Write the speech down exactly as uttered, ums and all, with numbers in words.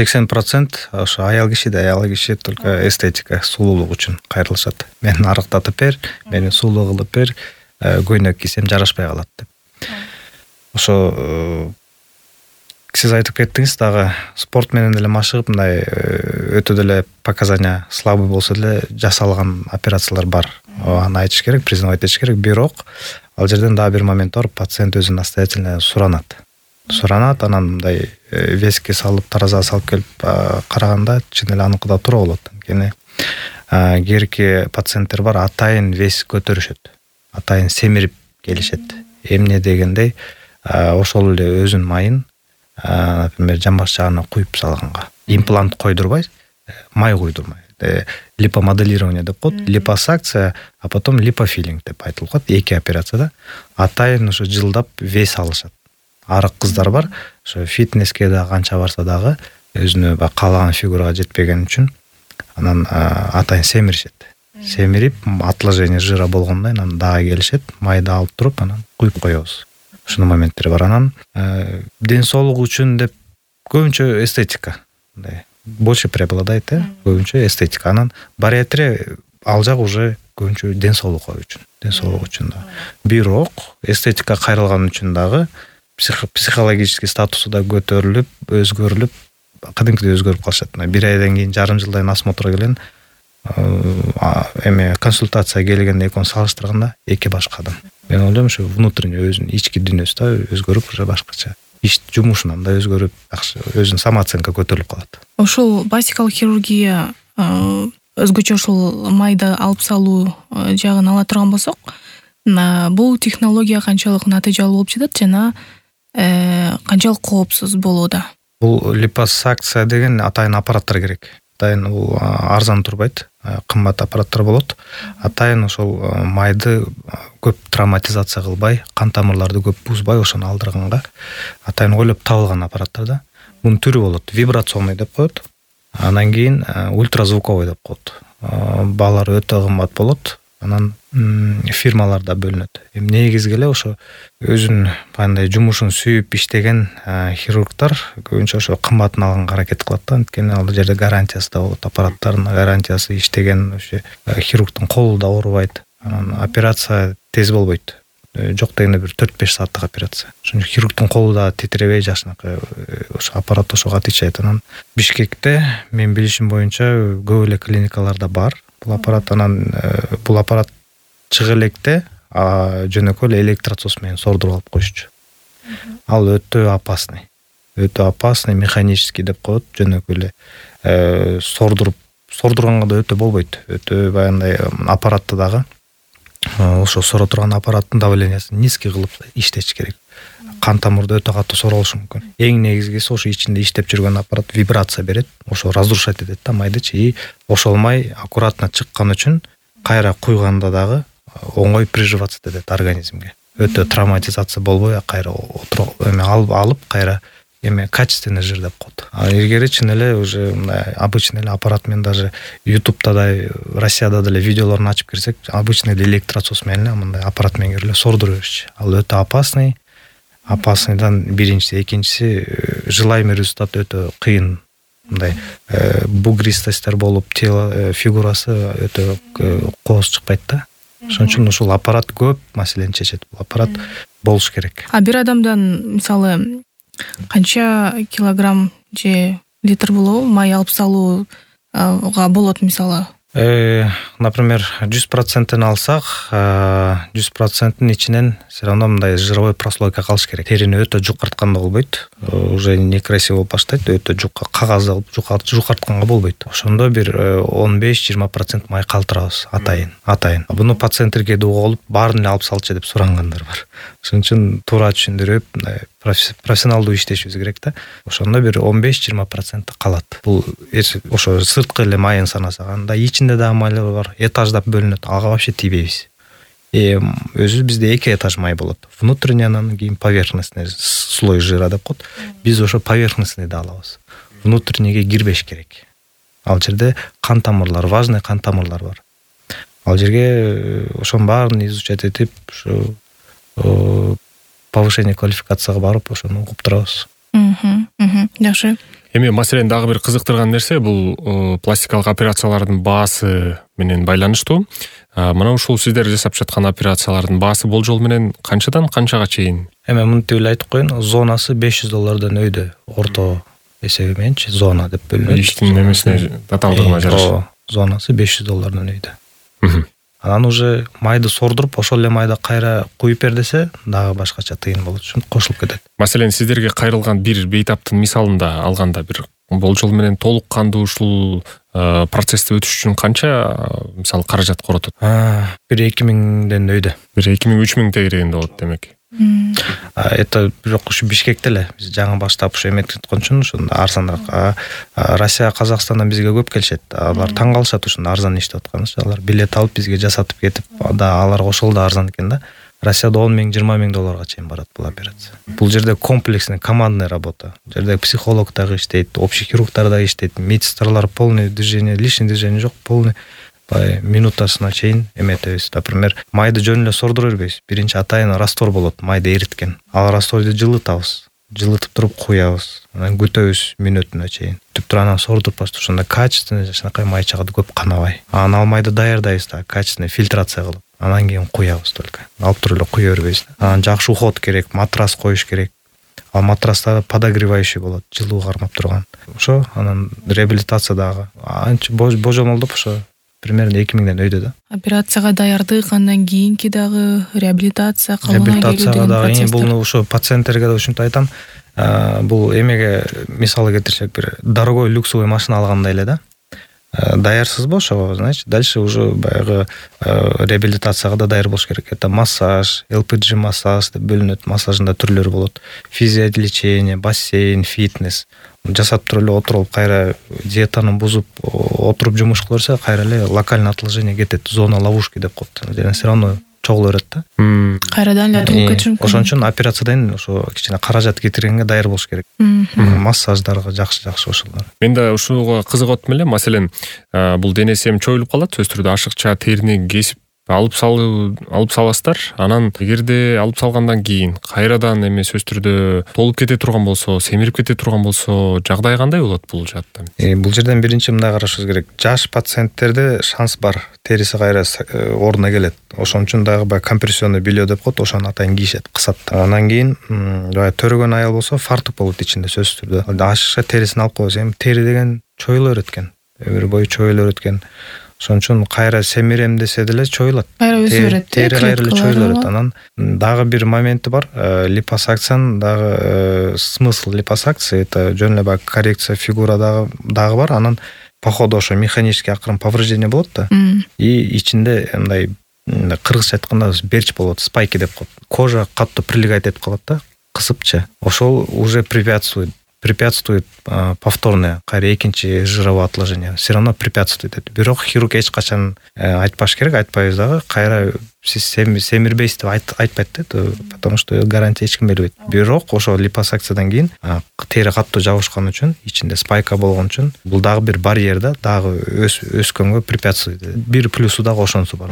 сексен процент ошо аял киши да, аял киши только эстетика, сулуулук үчүн кайрылышат. Мени арыктатып бер, мени сулуу кылып бер, көйнөк кийсем жарашпай калат деп. Ошо сиз айтып кеттиңиз дагы спорт менен деле машыгып, мындай өтө деле показания слабый болсо деле жасалган операциялар бар. Аны айтыш керек, признавать этиш керек. Бирок ал жерден дагы бир момент бар, пациент өзү настоятельно суранат. Суранат, анан мындай веске салып, таразага салып келип караганда чын эле аныкыда туура болот. Анткени кээрки пациенттер бар, атайын вес көтөрүшөт. Атайын семирип келишет. Эмне дегендей, ошол эле өзүнүн майын, например, жамбаш жагына куюп салганга. Имплант койдурбай, май куйдурмай. Липомоделирование деп коет, липосакция, а потом липофилинг деп айтылып коет. Эки операцияда атайын ошо жылдап вес алышат. Арык кыздар бар, ошо фитнеске да канча барса дагы өзүнө каалаган фигурага жетпеген үчүн анан атайын семиришет. Семирип, отложение жира болгондон анан дагы келишет, майды алып туруп, анан куюп коебуз. Ушунун моменттери бар. Анан ден соолук үчүн деп көбүнчө эстетика. Мындай больше преобладает, көбүнчө эстетика. Анан бариатрия ал жак уже көбүнчө ден соолукка үчүн, ден соолук үчүн да. Бирок эстетика кайрылган үчүн дагы психологический статусу да көтөрүлүп, өзгөрүлүп, кадимкидей өзгөрүп калышат. Бир айдан кийин, жарым жылдан осмотрга келген, эме консультация келгенде экөөнү салыштырганда эки башка адам. Мен ойлойм, ушу внутренний өзүнүн ички дүйнөсү да өзгөрүп, уже башкача. Иш жумушунан да өзгөрүп, өзүнүн самооценка көтөрүлүп калат. Ошол пластикалык хирургия өзгөчө ошол майды алып салуу жагын ала турган болсок, бул технология канчалык натыйжалуу болуп жатат жана канчалык коопсуз болууда? Бул липосакция деген атайын аппараттар керек. Атайын бул арзан турбайт, кымбат аппараттар болот. Атайын ошол майды көп травматизация кылбай, кан тамырларды көп бузбай ошону алдырганга атайын ойлоп табылган аппараттар да. Мунун түрү болот, вибрационный деп коет. Анан кийин ультразвуковой деп коет. Баалары өтө кымбат болот. Анан фирмаларда бөлүнөт. Эми негизги эле ошо өзүнүн кандай жумушун сүйүп иштеген хирургдар көбүнчө ошо кымбатын алганга аракет кылат да. Анткени ал жерде гарантиясы да болот, аппараттардын гарантиясы, иштеген ошо хирургдун колу да оорубайт. Анан операция тез болбойт. Жок дегенде бир төрт-беш сааттык операция. Ошондо хирургдун колу да титиребей жашынакы ошо аппарат ошого отвечает. Анан Бишкекте мен билишим боюнча көп эле клиникаларда бар бул аппарат. Анан бул аппарат чыгы электе жөнөкөй эле электросос менен сордуруп алып коюшчу. Ал өтө опасный. Өтө опасный, механический деп коет, жөнөкөй эле сордуруп, сордурганга да өтө болбойт. Өтө баягындай аппаратты дагы ошо сора турган аппараттын давлениясын низкий кылып иштеш керек. Кан тамырды өтө катуу сора алышы мүмкүн. Эң негизгиси ошо ичинде иштеп жүргөн аппарат вибрация берет, ошо разрушать этет да майдычы. И ошол май аккуратно чыккан үчүн кайра куйганда дагы оңой приживаться этет организмге. Өтө травматизация болбой, кайра эме алып кайра эме качественный жир деп коет. А илгери чын эле уже мындай обычный эле аппарат менен даже ютубта да, Россияда деле видеолорун ачып кирсек, обычный электросос менен мындай аппарат менен кирип сордура беришчи. Ал өтө опасный. Опасныйдан биринчиси, экинчиси желаемый результат өтө кыйын. Мындай бугристостер болуп, тело фигурасы өтө кооз чыкпайт да. Ошон үчүн ушул аппарат көп маселени чечет. Бул аппарат болуш керек. А бир адамдан мисалы канча килограмм же литр болобу май алып салууга болот мисалы? Например, жүз проценттен алсак, жүз проценттин ичинен все равно мындай жировой прослойка калыш керек. Терини өтө жукартканда болбойт. Уже некрасиво болуп баштайт, өтө жука кагаз алып жукартканга болбойт. Ошондо бир он беш жыйырма процент май калтырабыз атайын, атайын. Буну пациенттерге да угулуп, баарын эле алып салчы деп сурангандар бар. Ошон үчүн туура түшүндүрүп, профессионалдуу иштешибиз керек да. Ошондо бир он беш жыйырма процент калат. Бул ошо сырткы эле майын санасак, анда ичинде дагы майлар бар, этаждап бөлүнөт. Ага вообще тийбейбиз. Э өзү бизде эки этаж май болот. Внутренний, анан кийин поверхностный слой жира деп коет. Биз ошо поверхностныйды алабыз. Внутреннийге кирбеш керек. Ал жерде кан тамырлар, важный кан тамырлар бар. Ал жерге ошонун баарын изучать этип, ошо повышение квалификацияга барып, ошону угуп турабыз. Мм, жакшы. Эми маселен дагы бир кызыктырган нерсе бул пластикалык операциялардын баасы менен байланыштуу. Мына ушул сиздер жасап жаткан операциялардын баасы болжол менен канчадан канчага чейин? Эми мынтип эле айтып коеюн, зонасы беш жүз доллардан өйдө. Орто эсеби мененчи зона деп бөлүнөт. Иштин эмесине татаалдыгына жараша. Зонасы беш жүз доллардан өйдө. Анан уже майды сордуруп, ошол эле майды кайра куюп бер десе, дагы башкача тыйын болот үчүн кошулуп кетет. Маселен, сиздерге кайрылган бир бейтаптын мисалында алганда бир болжол менен толук кандуу ушул процессти өтүш үчүн канча мисалы каражат коротот? бир эки миңден өйдө. бир эки миң үч миң тегерегинде болот демек. Это бирок ушу Бишкекте эле биз жаңы баштап ушу эметип аткан үчүн ушунда арзаныраак. Россия, Казакстандан бизге көп келишет. Алар таң калышат ушунда арзан иштеп атканыбыз. Алар билет алып бизге жасатып кетип, да аларга ошол да арзан экен да. Россияда он миң, жыйырма миң долларга чейин барат бул операция. Бул жерде комплексный, командный работа. Бул жерде психолог дагы иштейт, общий хирургдар дагы иштейт, медсестралар полный движение, лишний движение жок, полный минутасына чейин эметебиз. Например, майды жөн эле сордура бербейбиз. Биринчи атайын раствор болот, майды эриткен. Ал растворду жылытабыз. Жылытып туруп куябыз. Анан күтөбүз мүнөтүнө чейин. Түп туранан сордуруп баштап ошондо качественный жакшынакай май чыгат, көп канабай. Анан ал майды даярдайбыз да, качественный фильтрация кылып. Анан кийин куябыз только. Алып туруп эле куя бербейбиз. Анан жакшы уход керек, матрас коюш керек. Ал матраста подогревающий болот, жылуу кармап турган. Ошо анан реабилитация дагы анча божомолдоп ошо примерно эки миңден өйдө да. Операцияга даярдык, андан кийинки дагы реабилитация, калыбына келүү деген процесс. Бул ошо пациенттерге да ушинтип айтам. Бул эмеге мисалы келтирсек, бир дорогой люксовый машина алгандай эле да. Даярсызбы ошого, значит, дальше уже баягы реабилитацияга да даяр болуш керек. Это массаж, эл пи джи массаж деп бөлүнөт. Массажында түрлөрү болот. Физиолечение, бассейн, фитнес. Жасап туруп эле отуруп, кайра диетаны бузуп, отуруп жумуш кылса, кайра эле локальное отложение кетет. Зона ловушки деп коет. Жана все равно чогулу берет да. Кайрадан эле туруп кетиши мүмкүн. Ошон үчүн операциядан ошо кичине каражат кетиргенге даяр болуш керек. Массаждарга жакшы-жакшы ошолор. Мен да ушуга кызыгып атам эле. Маселен, бул денеси эми чоюлуп калат, сөзсүз түрдө ашыкча терини кесип алып салуу алып саласыздар. Анан эгерде алып салгандан кийин кайрадан эми сөзсүз түрдө толуп кете турган болсо, семирип кете турган болсо, жагдай кандай болот бул жаатта? Э, бул жерден биринчи мындай карашыбыз керек. Жаш пациенттерде шанс бар, териси кайра ордуна келет. Ошон үчүн дагы баягы компрессионный белье деп коет, ошону атайын кийишет, кысат. Андан кийин баягы төрөгөн аял болсо, фартук болот ичинде сөзсүз түрдө. Ашыкча терисин алып койсо, эми тери деген чоюла берет экен. Өмүр бою чоюла берет экен. Ошон үчүн кайра семирем десе деле чоюлат. Кайра өсө берет. Тери кайра эле чоюла берет. Анан дагы бир моменти бар. Липосакциянын дагы смысл липосакции это жөн эле баягы коррекция фигура дагы дагы бар. Анан по ходу ошо механический акырын повреждение болот да. И ичинде мындай кыргызча айтканда берч болот, спайки деп коет. Кожа катты прилегать этип калат да, кысыпчы. Ошол уже препятствует препятствует а, повторное кайра экинчи жировое отложение. Все равно препятствует. Бирок хирург эч качан айтпаш керек, айтпайбыз дагы. Кайра сиз семирбейсиз деп айт, айтпайт да, потому что гарантия эч ким бербейт. Бирок ошо липосакциядан кийин тери катуу жабышкан үчүн, ичинде спайка болгон үчүн бул дагы бир барьер да, дагы өс, өскөнгө препятствует. Бир плюсу дагы ошонусу бар.